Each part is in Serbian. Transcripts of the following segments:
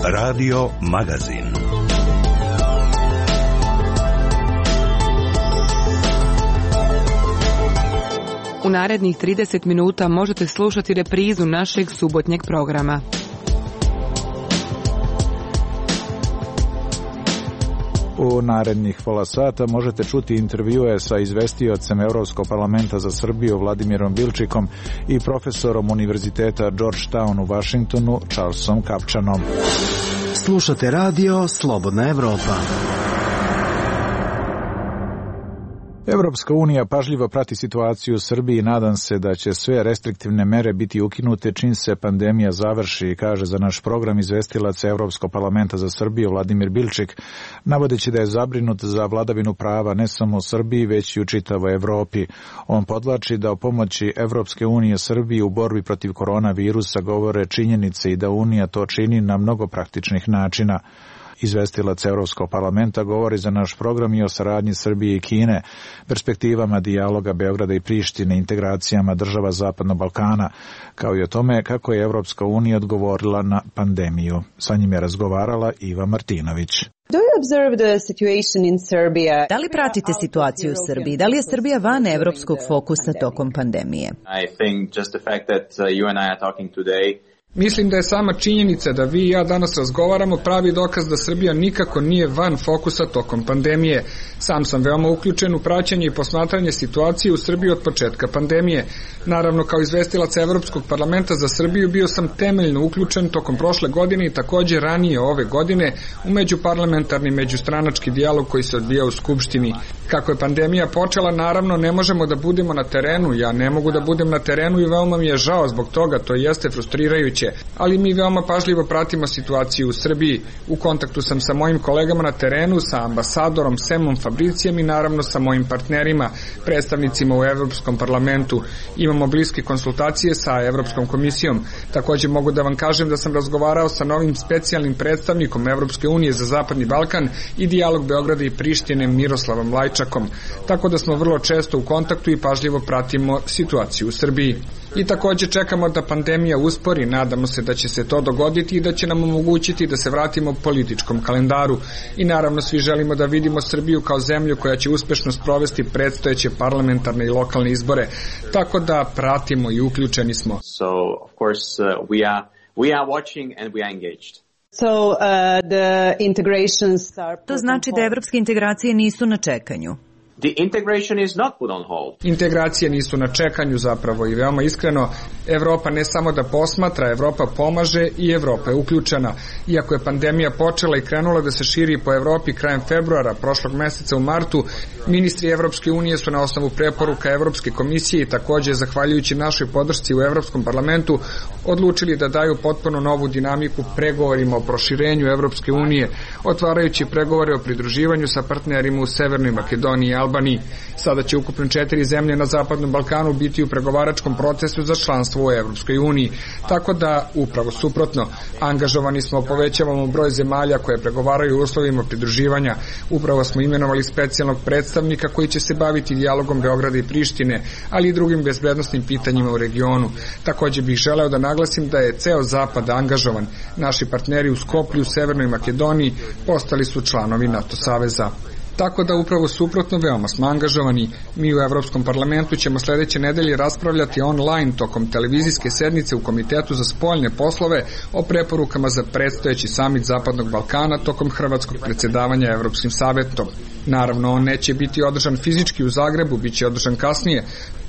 Radio Magazin. U narednih 30 minuta možete slušati reprizu našeg subotnjeg programa. U narednih pola sata možete čuti intervjue sa izvestiocem Evropskog parlamenta za Srbiju Vladimirom Bilčikom i profesorom Univerziteta Georgetown u Vašingtonu Charlesom Kapčanom. Slušate radio Slobodna Evropa. Evropska unija pažljivo prati situaciju u Srbiji i nadam se da će sve restriktivne mere biti ukinute čim se pandemija završi, kaže za naš program izvestilac Evropskog parlamenta za Srbiju Vladimir Bilčik, navodeći da je zabrinut za vladavinu prava ne samo u Srbiji, već i u čitavoj Evropi. On podvlači da o pomoći Evropske unije Srbiji u borbi protiv koronavirusa govore činjenice i da Unija to čini na mnogo praktičnih načina. Izvestilac Evropskog parlamenta govori za naš program i o saradnji Srbije i Kine, perspektivama dijaloga Beograda i Prištine, integracijama država Zapadnog Balkana, kao i o tome kako je Evropska unija odgovorila na pandemiju. Sa njim je razgovarala Iva Martinović. Da li pratite situaciju u Srbiji? Da li je Srbija van evropskog fokusa tokom pandemije? Mislim da je sama činjenica da vi i ja danas razgovaramo pravi dokaz da Srbija nikako nije van fokusa tokom pandemije. Sam sam veoma uključen u praćenje i posmatranje situacije u Srbiji od početka pandemije. Naravno, kao izvestilac Evropskog parlamenta za Srbiju bio sam temeljno uključen tokom prošle godine i takođe ranije ove godine u međuparlamentarni međustranački dijalog koji se odvija u Skupštini. Kako je pandemija počela, naravno ne možemo da budemo na terenu, ja ne mogu da budem na terenu i veoma mi je žao zbog toga, to jeste frustrirajuće, ali mi veoma pažljivo pratimo situaciju u Srbiji. U kontaktu sam sa mojim kolegama na terenu, sa ambasadorom Semom Fabricijem i naravno sa mojim partnerima, predstavnicima u Evropskom parlamentu. Imamo bliske konsultacije sa Evropskom komisijom. Takođe mogu da vam kažem da sam razgovarao sa novim specijalnim predstavnikom Evropske unije za Zapadni Balkan i dijalog Beograda i Prištine Miroslavom Lajčakom. Tako da smo vrlo često u kontaktu i pažljivo pratimo situaciju u Srbiji. I takođe čekamo da pandemija uspori, nadamo se da će se to dogoditi i da će nam omogućiti da se vratimo političkom kalendaru. I naravno svi želimo da vidimo Srbiju kao zemlju koja će uspešno sprovesti predstojeće parlamentarne i lokalne izbore. Tako da pratimo i uključeni smo. To znači da evropske integracije nisu na čekanju. Integracije nisu na čekanju zapravo i veoma iskreno, Evropa ne samo da posmatra, Evropa pomaže i Evropa je uključena. Iako je pandemija počela i krenula da se širi po Evropi krajem februara, prošlog meseca u martu, ministri Evropske unije su na osnovu preporuka Evropske komisije i takođe zahvaljujući našoj podršci u Evropskom parlamentu odlučili da daju potpuno novu dinamiku pregovorima o proširenju Evropske unije, otvarajući pregovore o pridruživanju sa partnerima u Severnoj Makedoniji i Albaniji. Sada će ukupno 4 zemlje na Zapadnom Balkanu biti u pregovaračkom procesu za članstvo u Evropskoj uniji. Tako da, upravo suprotno, angažovani smo, povećavamo broj zemalja koje pregovaraju o uslovima pridruživanja. Upravo smo imenovali specijalnog predstavnika koji će se baviti dijalogom Beograda i Prištine, ali i drugim bezbednosnim pitanjima u regionu. Takođe bih želeo da naglasim da je ceo Zapad angažovan. Naši partneri u Skoplju, Severnoj Makedoniji postali su članovi NATO saveza. Tako da upravo suprotno veoma smo angažovani. Mi u Evropskom parlamentu ćemo sledeće nedelje raspravljati online tokom televizijske sednice u Komitetu za spoljne poslove o preporukama za predstojeći samit Zapadnog Balkana tokom hrvatskog predsjedavanja Evropskim savetom. Naravno, on neće biti održan fizički u Zagrebu, bit će održan kasnije.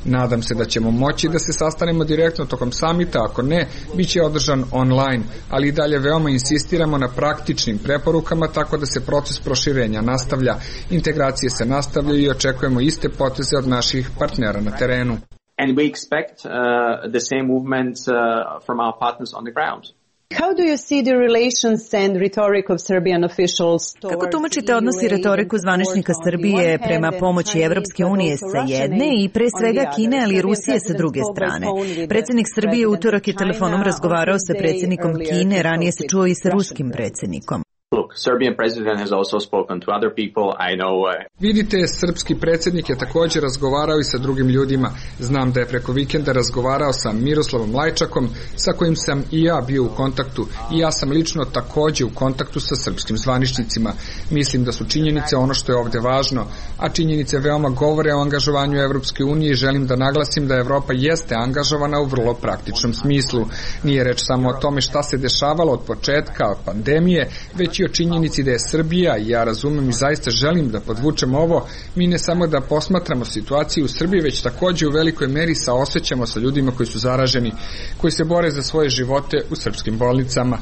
Nadam se da ćemo moći da se sastanemo direktno tokom samita, ako ne, bit će održan online, ali i dalje veoma insistiramo na praktičnim preporukama tako da se proces proširenja nastavlja. Integracije se nastavljaju i očekujemo iste poteze od naših partnera na terenu. And we expect the same movement from our partners on the ground. Kako tumačite odnos i retoriku zvaničnika Srbije prema pomoći Evropske unije sa jedne i pre svega Kine, ali i Rusije sa druge strane? Predsjednik Srbije utorak je telefonom razgovarao sa predsjednikom Kine, ranije se čuo i sa ruskim predsjednikom. Look, Serbian president has also spoken to other people. I know. Vidite, srpski predsjednik je također razgovarao i sa drugim ljudima. Znam da je preko vikenda razgovarao sa Miroslavom Lajčakom, sa kojim sam i ja bio u kontaktu, i ja sam lično također u kontaktu sa srpskim zvaničnicima. Mislim da su činjenice ono što je ovdje važno, a činjenice veoma govore o angažovanju Evropske unije i želim da naglasim da Evropa jeste angažovana u vrlo praktičnom smislu. Nije reč samo o tome šta se dešavalo od početka pandemije, već i o činjenici da je Srbija, i ja razumem i zaista želim da podvučem ovo, mi ne samo da posmatramo situaciju u Srbiji, već također u velikoj meri saosećamo sa ljudima koji su zaraženi, koji se bore za svoje živote u srpskim bolnicama.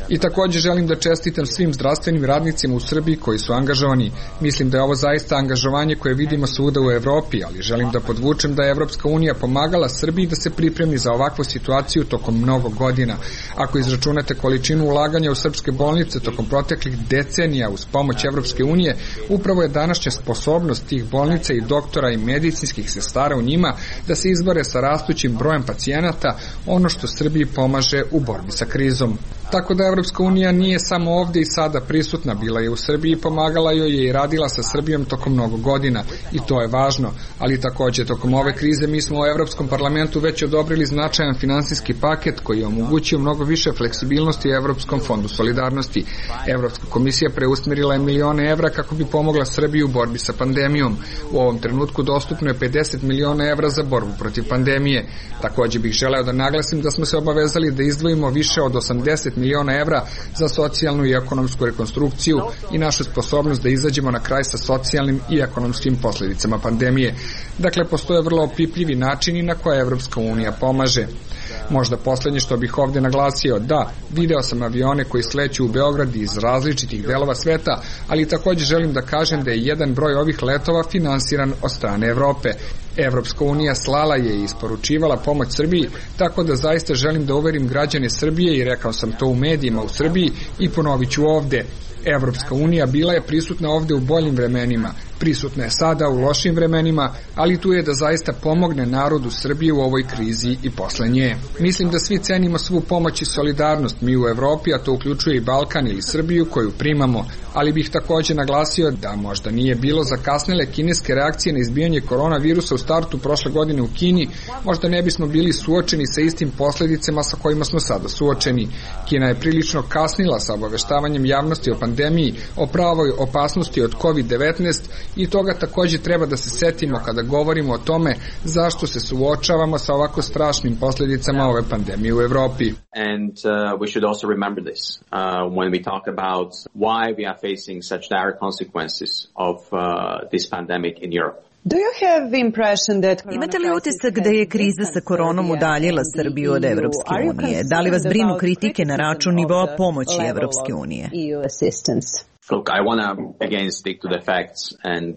I također želim da čestitam svim zdravstvenim radnicima u Srbiji koji su angažovani. Mislim da je ovo zaista angažovanje koje vidimo svuda u Evropi, ali želim da podvučem da je Evropska unija pomagala Srbiji da se pripremi za ovakvu situaciju tokom mnogo godina. Ako izračunate količinu ulaganja u srpske bolnice tokom proteklih decenija uz pomoć Evropske unije, upravo je današnja sposobnost tih bolnica i doktora i medicinskih sestara u njima da se izbore sa rastućim brojem pacijenata ono što Srbiji pomaže u borbi sa krizom. Tako da Evropska unija nije samo ovdje i sada prisutna, bila je u Srbiji, pomagala joj je i radila sa Srbijom tokom mnogo godina i to je važno, ali također tokom ove krize mi smo u Evropskom parlamentu već odobrili značajan finansijski paket koji je omogućio mnogo više fleksibilnosti u Evropskom fondu solidarnosti. Evropska komisija preusmjerila je milione evra kako bi pomogla Srbiji u borbi sa pandemijom. U ovom trenutku dostupno je 50 miliona evra za borbu protiv pandemije. Također bih želeo da naglasim da smo se obavezali da izdvojimo više od 80 miliona evra za socijalnu i ekonomsku rekonstrukciju i našu sposobnost da izađemo na kraj sa socijalnim i ekonomskim posljedicama pandemije. Dakle, postoje vrlo opipljivi načini na koje Evropska unija pomaže. Možda posljednje što bih ovdje naglasio, da, video sam avione koji sleću u Beograd iz različitih delova sveta, ali također želim da kažem da je jedan broj ovih letova finansiran od strane Evrope. Evropska unija slala je i isporučivala pomoć Srbiji, tako da zaista želim da uverim građane Srbije i rekao sam to u medijima u Srbiji i ponovit ću ovdje. Evropska unija bila je prisutna ovdje u boljim vremenima, prisutna je sada u lošim vremenima, ali tu je da zaista pomogne narodu Srbije u ovoj krizi i posle nje. Mislim da svi cenimo svu pomoć i solidarnost mi u Evropi, a to uključuje i Balkan ili Srbiju koju primamo, ali bih također naglasio da možda nije bilo zakasnele kineske reakcije na izbijanje koronavirusa u startu prošle godine u Kini, možda ne bismo bili suočeni sa istim posljedicama sa kojima smo sada suočeni. Kina je prilično kasnila sa obaveštavanjem javnosti o pandemiji, o pravoj opasnosti od COVID-19 i toga također treba da se setimo kada govorimo o tome zašto se suočavamo sa ovako strašnim posljedicama ove pandemije u Evropi. And we should also remember this when we talk about why we are facing such dire consequences of this pandemic in Europe. Imate li utisak da je kriza sa koronom udaljila Srbiju od Evropske unije? Da li vas brinu kritike na račun nivoa pomoći Evropske unije? Look, I want to again stick to the facts and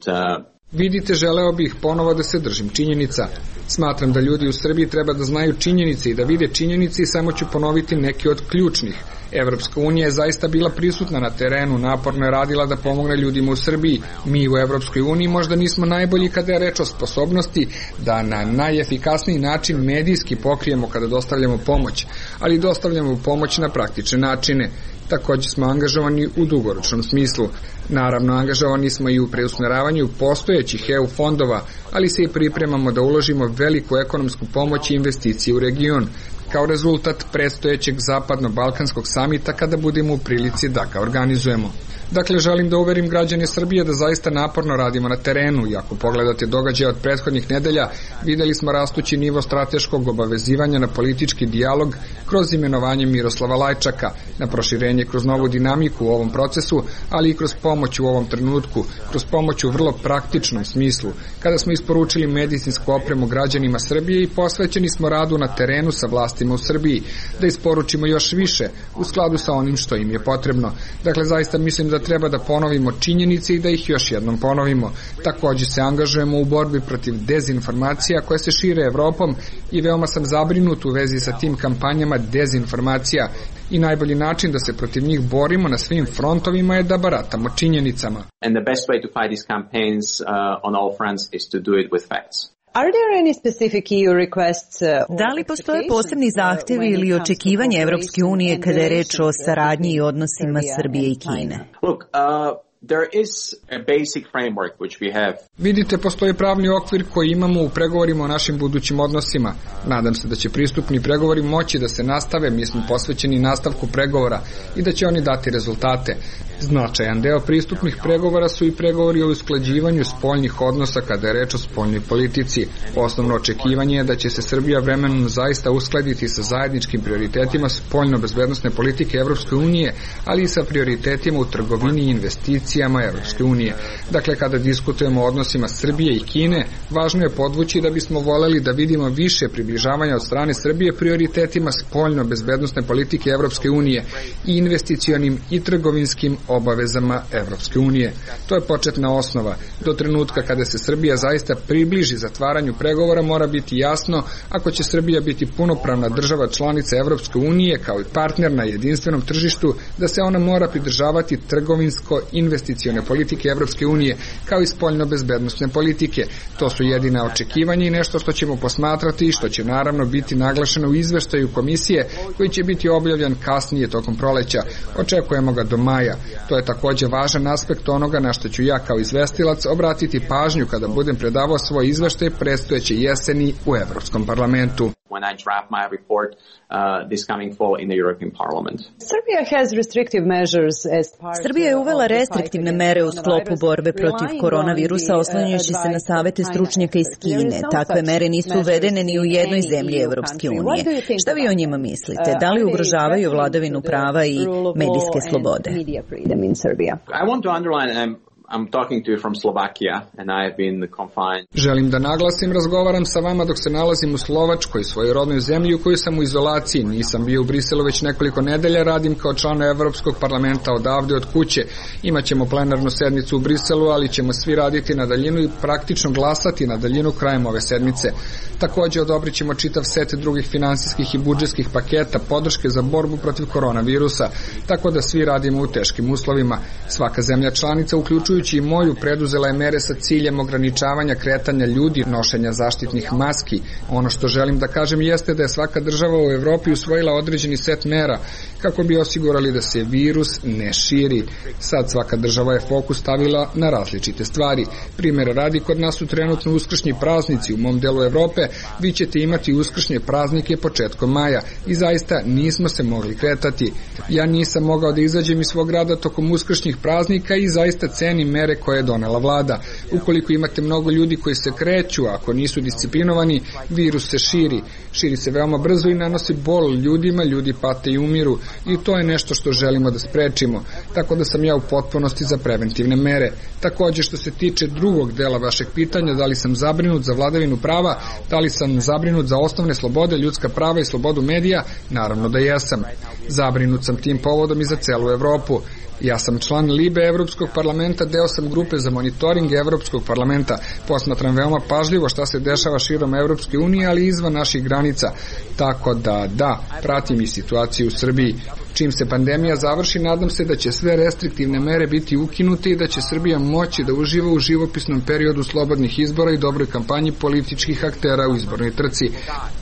Vidite, želeo bih ponovo da se držim činjenica. Smatram da ljudi u Srbiji treba da znaju činjenice i da vide činjenice i samo ću ponoviti neke od ključnih. Evropska unija je zaista bila prisutna na terenu, naporno je radila da pomogne ljudima u Srbiji. Mi u Evropskoj uniji možda nismo najbolji kada je reč o sposobnosti da na najefikasniji način medijski pokrijemo kada dostavljamo pomoć, ali dostavljamo pomoć na praktične načine. Također smo angažovani u dugoročnom smislu. Naravno, angažovani smo i u preusmjeravanju postojećih EU fondova, ali se i pripremamo da uložimo veliku ekonomsku pomoć i investicije u region, kao rezultat predstojećeg zapadno-balkanskog samita kada budemo u prilici da ga organizujemo. Dakle, želim da uverim građane Srbije da zaista naporno radimo na terenu i ako pogledate događaje od prethodnih nedelja, vidjeli smo rastući nivo strateškog obavezivanja na politički dijalog kroz imenovanje Miroslava Lajčaka, na proširenje kroz novu dinamiku u ovom procesu, ali i kroz pomoć u ovom trenutku, kroz pomoć u vrlo praktičnom smislu, kada smo isporučili medicinsku opremu građanima Srbije i posvećeni smo radu na terenu sa vlastima u Srbiji, da isporučimo još više u skladu sa onim što im je potrebno. Dakle, zaista mislim da treba da ponovimo činjenice i da ih još jednom ponovimo. Također se angažujemo u borbi protiv dezinformacija koje se šire Evropom i veoma sam zabrinut u vezi sa tim kampanjama dezinformacija i najbolji način da se protiv njih borimo na svim frontovima je da baratamo činjenicama. And the best way to fight these campaigns on all fronts is to do it with facts. Da li postoje posebni zahtevi ili očekivanje Evropske unije kada je reč o saradnji i odnosima Srbije i Kine? There is a basic framework which we have. Vidite, postoji pravni okvir koji imamo u pregovorima o našim budućim odnosima. Nadam se da će pristupni pregovori moći da se nastave, mi smo posvećeni nastavku pregovora i da će oni dati rezultate. Značajan deo pristupnih pregovora su i pregovori o usklađivanju spoljnih odnosa kada je reč o spoljnoj politici. Osnovno očekivanje je da će se Srbija vremenom zaista uskladiti sa zajedničkim prioritetima spoljno-bezbednosne politike Evropske unije, ali i sa prioritetima u trgovini i investicijama Evropske unije. Dakle, kada diskutujemo o odnosima Srbije i Kine, važno je podvući da bismo voleli da vidimo više približavanja od strane Srbije prioritetima spoljno-bezbednosne politike Evropske unije i investicionim i trgovinskim obavezama Evropske unije. To je početna osnova. Do trenutka kada se Srbija zaista približi zatvaranju pregovora mora biti jasno, ako će Srbija biti punopravna država članica Evropske unije kao i partner na jedinstvenom tržištu, da se ona mora pridržavati trgovinsko-investicione politike Evropske unije kao i spoljno-bezbednosne politike. To su jedina očekivanja i nešto što ćemo posmatrati i što će naravno biti naglašeno u izveštaju komisije koji će biti objavljen kasnije tokom proleća. Očekujemo ga do maja. To je takođe važan aspekt onoga na što ću ja kao izvestilac obratiti pažnju kada budem predavao svoj izveštaj predstojeće jeseni u Evropskom parlamentu. When I draft my report this coming fall in the European Parliament. Srbija je uvela restriktivne mere u sklopu borbe protiv koronavirusa oslanjajući se na savete stručnjaka iz Kine. Takve mere nisu uvedene ni u jednoj zemlji Evropske unije. Šta vi o njima mislite? Da li ugrožavaju vladavinu prava i medijske slobode? I want to underline I'm talking to you from Slovakia and I have been confined. Želim da naglasim, razgovaram sa vama dok se nalazim u Slovačkoj, svojoj rodnoj zemlji u kojoj sam u izolaciji. Nisam bio u Briselu već nekoliko nedelja, radim kao član Evropskog parlamenta odavde od kuće. Imaćemo plenarnu sednicu u Briselu, ali ćemo svi raditi na daljinu i praktično glasati na daljinu krajem ove sedmice. Takođe odobrit ćemo čitav set drugih finansijskih i budžetskih paketa podrške za borbu protiv koronavirusa, tako da svi radimo u teškim uslovima. Svaka zemlja članica, uključujući i moju, preduzela je mere sa ciljem ograničavanja kretanja ljudi, nošenja zaštitnih maski. Ono što želim da kažem jeste da je svaka država u Evropi usvojila određeni set mera kako bi osigurali da se virus ne širi. Sad svaka država je fokus stavila na različite stvari. Primjer radi, kod nas su trenutno uskršnji praznici. U mom delu Evrope vi ćete imati uskršnje praznike početkom maja i zaista nismo se mogli kretati. Ja nisam mogao da izađem iz svog grada tokom uskršnjih praznika i zaista cenim mere koje je donela vlada. Ukoliko imate mnogo ljudi koji se kreću, ako nisu disciplinovani, virus se širi. Širi se veoma brzo i nanosi bol ljudima, ljudi pate i umiru i to je nešto što želimo da sprečimo. Tako da sam ja u potpunosti za preventivne mere. Takođe, što se tiče drugog dela vašeg pitanja, da li sam zabrinut za vladavinu prava, da li sam zabrinut za osnovne slobode, ljudska prava i slobodu medija, naravno da jesam. Zabrinut sam tim povodom i za celu Evropu. Ja sam član Libe Evropskog parlamenta, deo sam grupe za monitoring Evropskog parlamenta. Posmatram veoma pažljivo šta se dešava širom Evropske unije, ali izvan naših granica. Tako da, pratim i situaciju u Srbiji. Čim se pandemija završi, nadam se da će sve restriktivne mere biti ukinute i da će Srbija moći da uživa u živopisnom periodu slobodnih izbora i dobroj kampanji političkih aktera u izbornoj trci.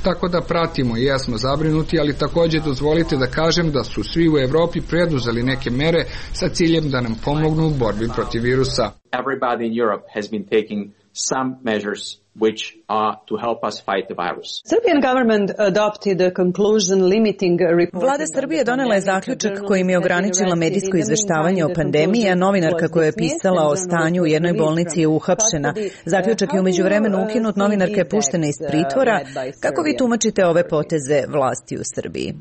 Tako da pratimo i jesmo zabrinuti, ali takođe dozvolite da kažem da su svi u Evropi preduzeli neke mere sa ciljem da nam pomognu u borbi protiv virusa. Everybody in Europe has been taking some measures which are to help us fight the virus. Vlada Srbije donela je zaključak kojim je ograničila medijsko izveštavanje o pandemiji, a novinarka koja je pisala o stanju u jednoj bolnici je uhapšena. Zaključak je u međuvremenu ukinut, novinarka je puštena iz pritvora. Kako vi tumačite ove poteze vlasti u Srbiji?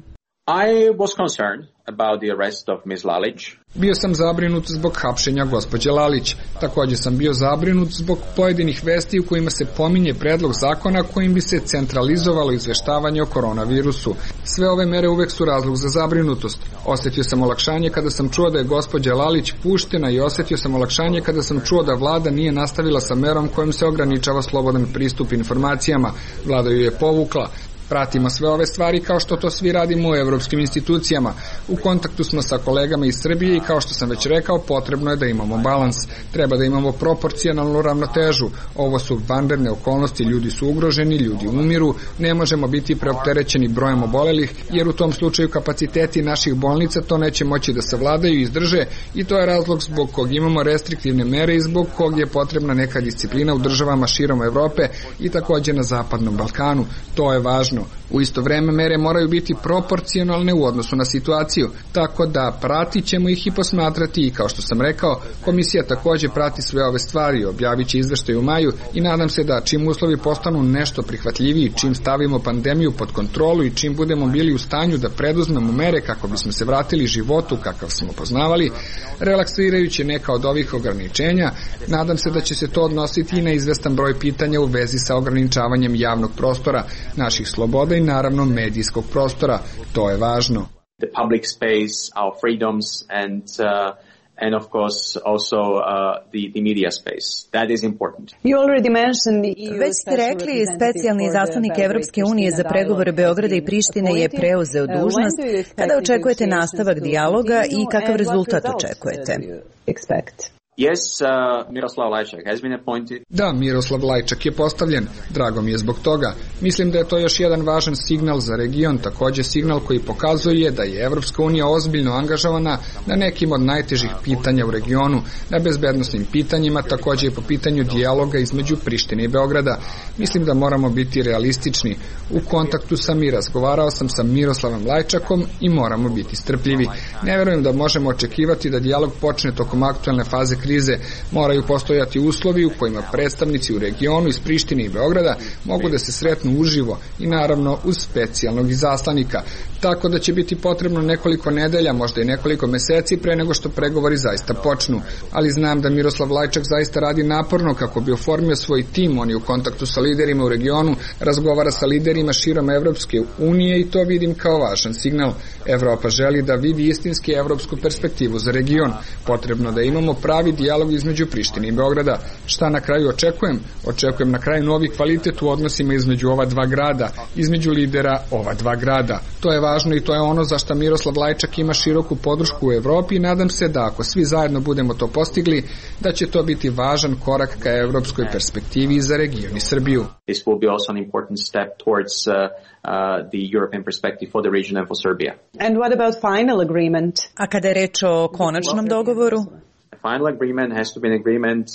I was concerned about the arrest of Ms. Lalić. Bio sam zabrinut zbog hapšenja gospođe Lalić. Takođe sam bio zabrinut zbog pojedinih vesti u kojima se pominje predlog zakona kojim bi se centralizovalo izveštavanje o koronavirusu. Sve ove mere uvek su razlog za zabrinutost. Osetio sam olakšanje kada sam čuo da je gospođa Lalić puštena i osetio sam olakšanje kada sam čuo da vlada nije nastavila sa merom kojom se ograničava slobodan pristup informacijama. Vlada ju je povukla. Pratimo sve ove stvari kao što to svi radimo u evropskim institucijama. U kontaktu smo sa kolegama iz Srbije i kao što sam već rekao, potrebno je da imamo balans. Treba da imamo proporcionalnu ravnotežu. Ovo su vanredne okolnosti, ljudi su ugroženi, ljudi umiru, ne možemo biti preopterećeni brojem obolelih, jer u tom slučaju kapaciteti naših bolnica to neće moći da savladaju i izdrže i to je razlog zbog kog imamo restriktivne mere i zbog kog je potrebna neka disciplina u državama širom Evrope i takođe na Zapadnom Balkanu. To je važno. U isto vreme mere moraju biti proporcionalne u odnosu na situaciju, tako da pratit ćemo ih i posmatrati i kao što sam rekao, komisija takođe prati sve ove stvari, objavit će izveštaj u maju i nadam se da čim uslovi postanu nešto prihvatljiviji, čim stavimo pandemiju pod kontrolu i čim budemo bili u stanju da preduzmemo mere kako bismo se vratili životu kakav smo poznavali, relaksirajući neka od ovih ograničenja, nadam se da će se to odnositi i na izvestan broj pitanja u vezi sa ograničavanjem javnog prostora, naših sloboda i naravno medijskog prostora. To je važno. The public space, our freedoms and of course also the media space. That is important. Već ste rekli, specijalni izaslanik Evropske unije za pregovore Beograda i Prištine je preuzeo dužnost. Kada očekujete nastavak dijaloga i kakav rezultat očekujete? Yes, Miroslav Lajčak has been appointed. Da, Miroslav Lajčak je postavljen. Drago mi je zbog toga. Mislim da je to još jedan važan signal za region, takođe signal koji pokazuje da je Evropska unija ozbiljno angažovana na nekim od najtežih pitanja u regionu, na bezbednosnim pitanjima, takođe i po pitanju dijaloga između Prištine i Beograda. Mislim da moramo biti realistični. U kontaktu sam i razgovarao sam sa Miroslavom Lajčakom i moramo biti strpljivi. Ne verujem da možemo očekivati da dijalog počne tokom aktuelne faze krize. Moraju postojati uslovi u kojima predstavnici u regionu iz Prištine i Beograda mogu da se sretnu uživo i naravno uz specijalnog izaslanika. Tako da će biti potrebno nekoliko nedelja, možda i nekoliko meseci pre nego što pregovori zaista počnu. Ali znam da Miroslav Lajčak zaista radi naporno kako bi oformio svoj tim. On je u kontaktu sa liderima u regionu, razgovara sa liderima širom Evropske unije i to vidim kao važan signal. Evropa želi da vidi istinski evropsku perspektivu za region. Potrebno da imamo pravi dijalog između Prištine i Beograda. Šta na kraju očekujem? Očekujem na kraju novi kvalitet u odnosima između ova dva grada, između lidera ova dva grada. To je važno i to je ono za što Miroslav Lajčak ima široku podršku u Evropi i nadam se da ako svi zajedno budemo to postigli, da će to biti važan korak ka evropskoj perspektivi za region i Srbiju. This will be also an important step towards the European perspective for the region and for Serbia. And what about final agreement? A kada je reč o konačnom dogovoru? Final agreement has to be an agreement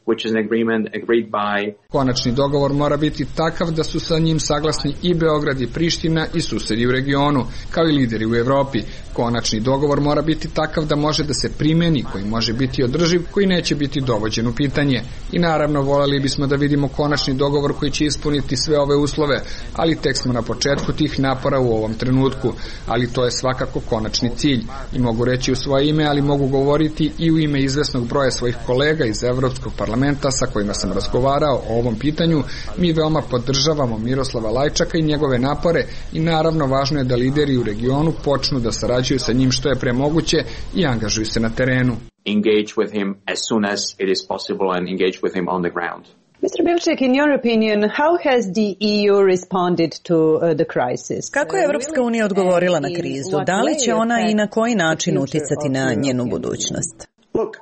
which is an agreement agreed by. Konačni dogovor mora biti takav da su sa njim saglasni i Beograd i Priština i susedi u regionu, kao i lideri u Evropi. Konačni dogovor mora biti takav da može da se primeni, koji može biti održiv, koji neće biti dovođen u pitanje. I naravno voljeli bismo da vidimo konačni dogovor koji će ispuniti sve ove uslove, ali tek smo na početku tih napora u ovom trenutku. Ali to je svakako konačni cilj. I mogu reći u svoje ime, ali mogu govoriti i u ime izvesnog broja svojih kolega iz Evropskog parlamenta sa kojima sam razgovarao o ovom pitanju. Mi veoma podržavamo Miroslava Lajčaka i njegove napore i naravno važno je da lideri u regionu počnu da sarađuju sa njim što je pre moguće i angažuju se na terenu. Engage with him as soon as it is possible and engage with him on the ground. Mr. Bilček, in your opinion, how has the EU responded to the crisis? Kako je Evropska unija odgovorila na krizu? Da li će ona i na koji način uticati na njenu budućnost? Look,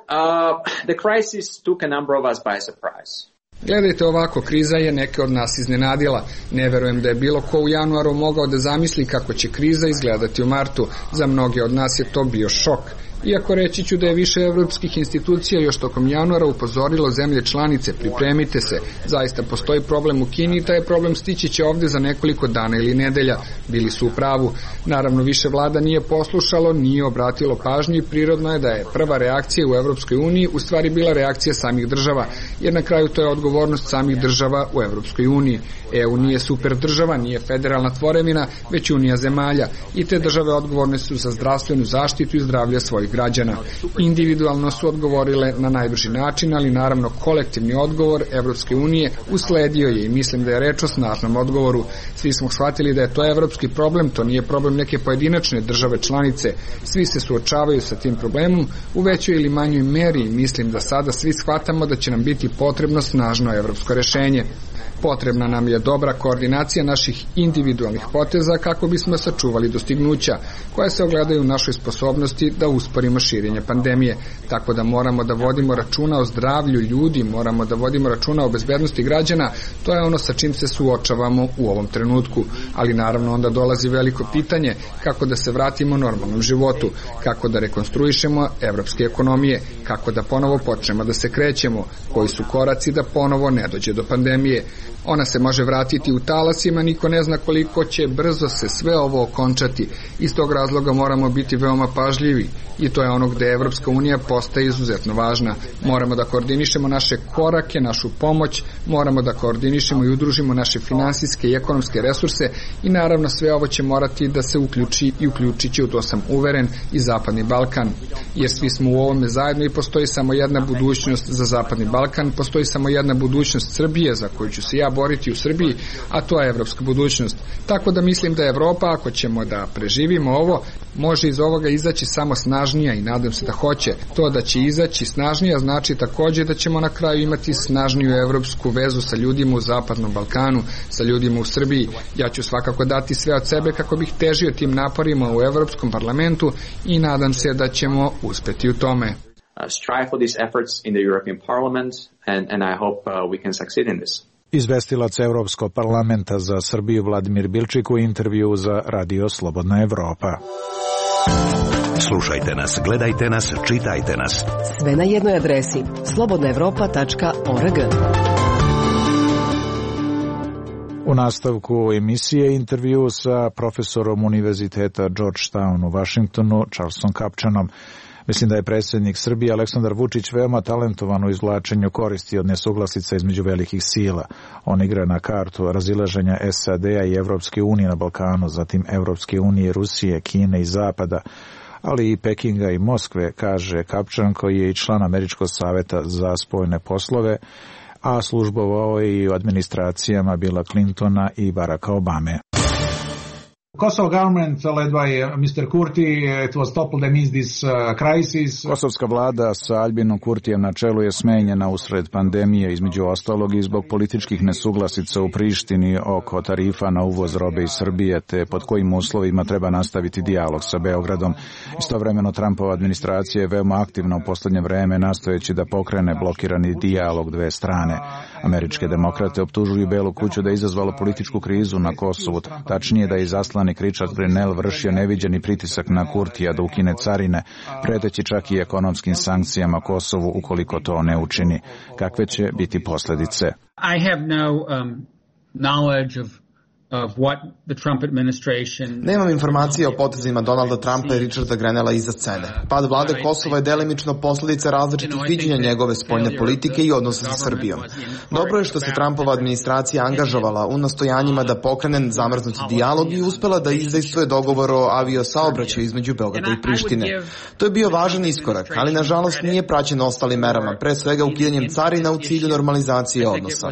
the crisis took a number of us by surprise. Gledajte ovako, kriza je neke od nas iznenadila. Ne verujem da je bilo ko u januaru mogao da zamisli kako će kriza izgledati u martu. Za mnoge od nas je to bio šok. Iako reći ću da je više evropskih institucija još tokom januara upozorilo zemlje članice, pripremite se, zaista postoji problem u Kini i taj problem stići će ovde za nekoliko dana ili nedelja, bili su u pravu. Naravno više vlada nije poslušalo, nije obratilo pažnju i prirodno je da je prva reakcija u Evropskoj uniji u stvari bila reakcija samih država, jer na kraju to je odgovornost samih država u Evropskoj uniji. EU nije super država, nije federalna tvorevina, već unija zemalja i te države odgovorne su za zdravstvenu zaštitu i zdravlje svojih građana. Individualno su odgovorile na najbrži način, ali naravno kolektivni odgovor Evropske unije usledio je i mislim da je reč o snažnom odgovoru. Svi smo shvatili da je to evropski problem, to nije problem neke pojedinačne države članice. Svi se suočavaju sa tim problemom u većoj ili manjoj meri i mislim da sada svi shvatamo da će nam biti potrebno snažno evropsko rešenje. Potrebna nam je dobra koordinacija naših individualnih poteza kako bismo sačuvali dostignuća koje se ogledaju u našoj sposobnosti da usporimo širenje pandemije. Tako da moramo da vodimo računa o zdravlju ljudi, moramo da vodimo računa o bezbednosti građana. To je ono sa čim se suočavamo u ovom trenutku. Ali naravno onda dolazi veliko pitanje kako da se vratimo normalnom životu, kako da rekonstruišemo evropske ekonomije, kako da ponovo počnemo da se krećemo, koji su koraci da ponovo ne dođe do pandemije. Ona se može vratiti u talasima, niko ne zna koliko će brzo se sve ovo okončati. Iz tog razloga moramo biti veoma pažljivi i to je ono gde Evropska unija postaje izuzetno važna. Moramo da koordinišemo naše korake, našu pomoć, moramo da koordinišemo i udružimo naše finansijske i ekonomske resurse i naravno sve ovo će morati da se uključi i uključit će, u to sam uveren, i Zapadni Balkan. Jer svi smo u ovome zajedno i postoji samo jedna budućnost za Zapadni Balkan, postoji samo jedna budućnost Srbije za koju ću se ja boriti u Srbiji, a to je evropska budućnost. Tako da mislim da Evropa, ako ćemo da preživimo ovo, može iz ovoga izaći samo snažnija i nadam se da hoće. To da će izaći snažnija znači takođe da ćemo na kraju imati snažniju evropsku vezu sa ljudima u Zapadnom Balkanu, sa ljudima u Srbiji. Ja ću svakako dati sve od sebe kako bih težio tim naporima u Evropskom parlamentu i nadam se da ćemo uspeti u tome. Strive for these efforts in the European Parliament and I hope we can succeed in this. Izvestilac Evropskog parlamenta za Srbiju Vladimir Bilčik u intervju za Radio Slobodna Evropa. Slušajte nas, gledajte nas, čitajte nas. Sve na jednoj adresi slobodnaevropa.org. U nastavku emisije intervju sa profesorom Univerziteta Georgetown u Vašingtonu, Charlesom Kapčanom. Mislim da je predsjednik Srbije Aleksandar Vučić veoma talentovan u izvlačenju koristi od nesuglasica između velikih sila. On igra na kartu razilaženja SAD-a i Evropske unije na Balkanu, zatim Evropske unije, Rusije, Kine i Zapada, ali i Pekinga i Moskve, kaže Kapčan, koji je i član Američkog saveta za spoljne poslove, a službovao je i u administracijama Billa Clintona i Baracka Obame. Kosovo government led by Mr. Kurti, it was toppled amidst this crisis. Kosovska vlada sa Aljbinom Kurtijem na čelu je smenjena usred pandemije, između ostalog i zbog političkih nesuglasica u Prištini oko tarifa na uvoz robe iz Srbije, te pod kojim uslovima treba nastaviti dijalog sa Beogradom. Istovremeno Trumpova administracija je veoma aktivna u poslednje vreme, nastojeći da pokrene blokirani dijalog dve strane. Američke demokrate optužuju Belu kuću da je izazvalo političku krizu na Kosovu, tačnije da je izaslanik Richard Grenell vršio neviđeni pritisak na Kurtija da ukine carine, preteći čak i ekonomskim sankcijama Kosovu ukoliko to ne učini. Kakve će biti posljedice? I have no knowledge of what the Trump administration... Nemam informacije o potezima Donalda Trumpa i Richarda Grenella iza scene. Pad vlade Kosova je delimično posljedica različitih viđenja njegove spoljne politike i odnosa sa Srbijom. Dobro je što se Trumpova administracija angažovala u nastojanjima da pokrene zamrznuti dijalog i uspela da izdejstvuje dogovor o aviosaobraćaju između Beograda i Prištine. To je bio važan iskorak, ali nažalost nije praćen ostalim merama, pre svega ukidanjem carina u cilju normalizacije odnosa.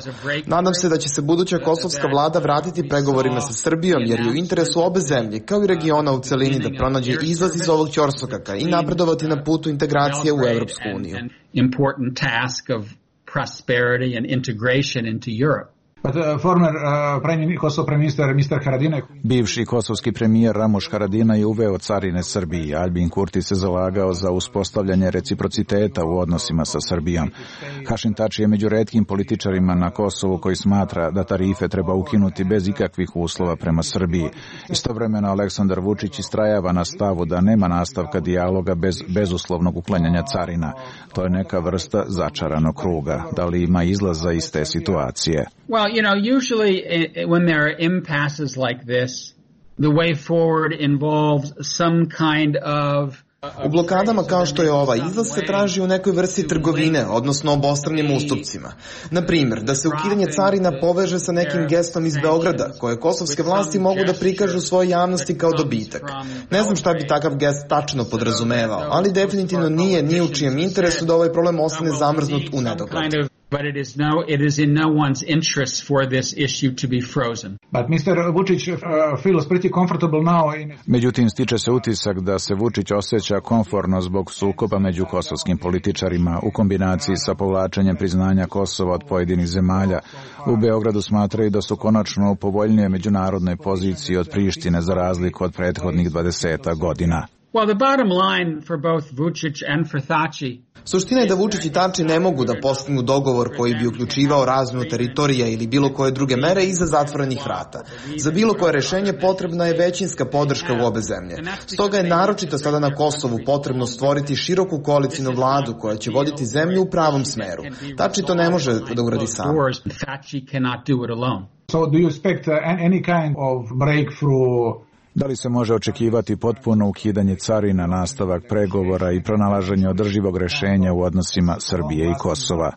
Nadam se da će se buduća kosovska vlada vratiti pregovorima sa Srbijom, jer je u interesu obe zemlje, kao i regiona u celini, da pronađe izlaz iz ovog ćorsokaka i napredovati na putu integracije u Evropsku uniju. Important task of prosperity and integration into Europe. But former Kosovo Prime Minister Mr. Haradinaj... Bivši kosovski premijer Ramuš Haradinaj je uveo carine Srbiji. Aljbin Kurti se zalagao za uspostavljanje reciprociteta u odnosima sa Srbijom. Hašim Tači je među retkim političarima na Kosovu koji smatra da tarife treba ukinuti bez ikakvih uslova prema Srbiji. Istovremeno Aleksandar Vučić istrajava na stavu da nema nastavka dijaloga bez bezuslovnog uklanjanja carina. To je neka vrsta začaranog kruga. Da li ima izlaza iz te situacije? Well, you know, usually when there are impasses like this, the way forward involves some kind of... U blokadama kao što je ova, izlaz se traži u nekoj vrsti trgovine, odnosno obostranim ustupcima. Na primjer, da se ukidanje carina poveže sa nekim gestom iz Beograda, koje kosovske vlasti mogu da prikažu svojoj javnosti kao dobitak. Ne znam šta bi takav gest tačno podrazumevao, ali definitivno nije ni u čijem interesu da ovaj problem ostane zamrznut u nedogled. But it is in no one's interest for this issue to be frozen. But Mr. Vučić feels pretty comfortable now in... Međutim, stiče se utisak da se Vučić osjeća komforno zbog sukoba među kosovskim političarima u kombinaciji sa povlačenjem priznanja Kosova od pojedinih zemalja. U Beogradu smatraju da su konačno u povoljnije međunarodnoj poziciji od Prištine za razliku od prethodnih 20 godina. Well, the bottom line for both Vučić and for Thaci. Suština je da Vučić i Tači ne mogu da postignu dogovor koji bi uključivao razmenu teritorija ili bilo koje druge mere iza zatvorenih vrata. Za bilo koje rešenje potrebna je većinska podrška u obe zemlje. Stoga je naročito sada na Kosovu potrebno stvoriti široku koalicijnu vladu koja će voditi zemlju u pravom smeru. Tači to ne može da uradi sam. So do you expect any kind of breakthrough? Da li se može očekivati potpuno ukidanje carina, nastavak pregovora i pronalaženje održivog rešenja u odnosima Srbije i Kosova?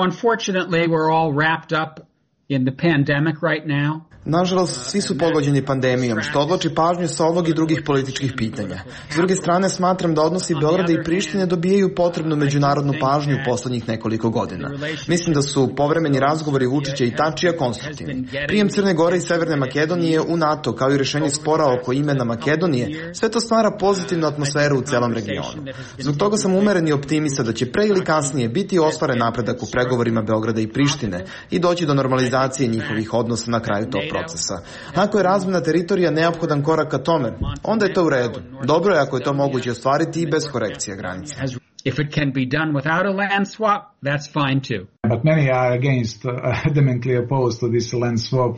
Unfortunately, we're all wrapped up in the pandemic right now. Nažalost, svi su pogođeni pandemijom, što odvlači pažnju sa ovog i drugih političkih pitanja. S druge strane, smatram da odnosi Beograda i Prištine dobijaju potrebnu međunarodnu pažnju u poslednjih nekoliko godina. Mislim da su povremeni razgovori Vučića i Tačija konstruktivni. Prijem Crne Gore i Severne Makedonije u NATO, kao i rešenje spora oko imena Makedonije, sve to stvara pozitivnu atmosferu u celom regionu. Zbog toga sam umeren i optimista da će pre ili kasnije biti ostvaren napredak u pregovorima Beograda i Prištine i doći do normalizacije njihovih odnosa na kraju tog procesa. Ako je razmena teritorija neophodan korak ka tome, onda je to u redu. Dobro je ako je to moguće ostvariti i bez korekcija granice. If it can be done without a land swap, that's fine too. But many are against, adamantly opposed to this land swap.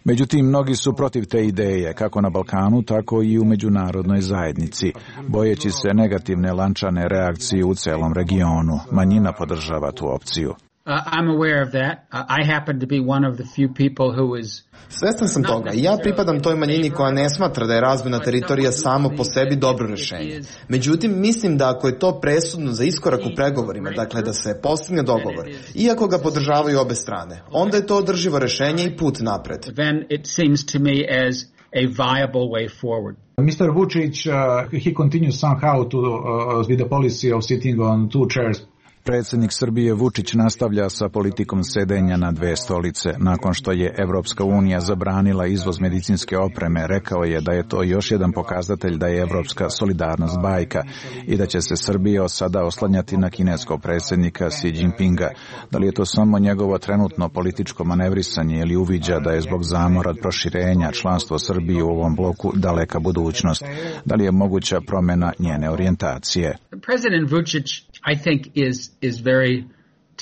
Međutim, mnogi su protiv te ideje, kako na Balkanu, tako i u međunarodnoj zajednici, bojeći se negativne lančane reakcije u celom regionu. Manjina podržava tu opciju. I'm aware of that. I happen to be one of the few people who is... Svestan sam toga i ja pripadam toj manjini koja ne smatra da je razmena teritorija samo po sebi dobro rešenje. Međutim, mislim da ako je to presudno za iskorak u pregovorima, dakle da se postigne dogovor, iako ga podržavaju obe strane, onda je to održivo rešenje i put napred. Then it seems to me as a viable way forward. Mr. Vučić, he continues somehow with the policy of sitting on two chairs. Predsjednik Srbije Vučić nastavlja sa politikom sedenja na dve stolice. Nakon što je Evropska unija zabranila izvoz medicinske opreme, rekao je da je to još jedan pokazatelj da je evropska solidarnost bajka i da će se Srbija od sada oslanjati na kineskog predsjednika Xi Jinpinga. Da li je to samo njegovo trenutno političko manevrisanje ili uviđa da je zbog zamora od proširenja članstvo Srbije u ovom bloku daleka budućnost? Da li je moguća promjena njene orijentacije? President Vučić, I think, is very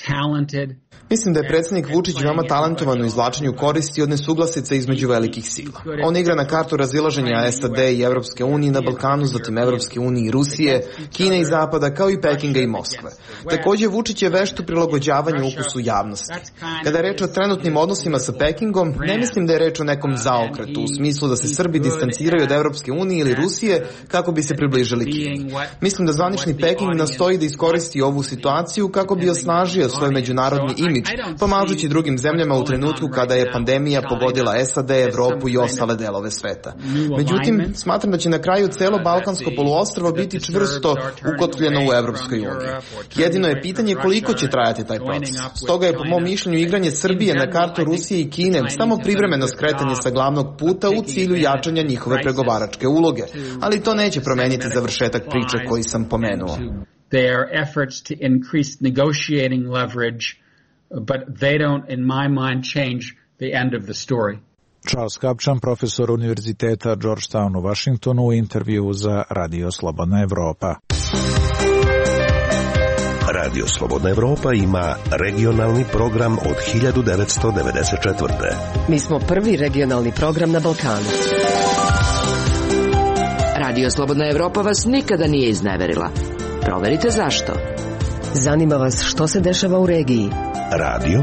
talented. Mislim da je predsjednik Vučić veoma talentovan u izvlačenju koristi od nesuglasica između velikih sila. On igra na kartu razilaženja SAD i Evropske unije na Balkanu, zatim Evropske unije i Rusije, Kine i Zapada, kao i Pekinga i Moskve. Također, Vučić je vešt u prilagođavanju ukusu javnosti. Kada je reč o trenutnim odnosima sa Pekingom, ne mislim da je reč o nekom zaokretu, u smislu da se Srbi distanciraju od Evropske unije ili Rusije kako bi se približili Kini. Mislim da zvanični Peking nastoji da iskoristi ovu situaciju kako bi osnažio svoj međunarodni imidž, pomažući drugim zemljama u trenutku kada je pandemija pogodila SAD, Evropu i ostale delove sveta. Međutim, smatram da će na kraju celo Balkansko poluostrvo biti čvrsto ukotvljeno u Evropskoj uniji. Jedino je pitanje koliko će trajati taj proces. Stoga je po mom mišljenju igranje Srbije na kartu Rusije i Kine samo privremeno skretanje sa glavnog puta u cilju jačanja njihove pregovaračke uloge, ali to neće promeniti završetak priče koji sam pomenuo. Their efforts to increase negotiating leverage, but they don't, in my mind, change the end of the story. Charles Kapčan, profesor Univerziteta Georgetown u Washingtonu, u intervju za Radio Slobodna Evropa. Radio Slobodna Evropa ima regionalni program od 1994. Mi smo prvi regionalni program na Balkanu. Radio Slobodna Evropa vas nikada nije izneverila. Proverite zašto. Zanima vas što se dešava u regiji. Radio,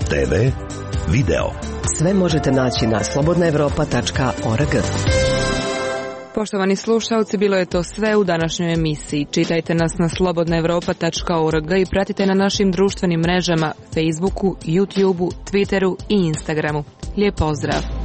TV, video. Sve možete naći na slobodnaevropa.org. Poštovani slušalci, bilo je to sve u današnjoj emisiji. Čitajte nas na slobodnaevropa.org i pratite na našim društvenim mrežama Facebooku, YouTubeu, Twitteru i Instagramu. Lijep pozdrav!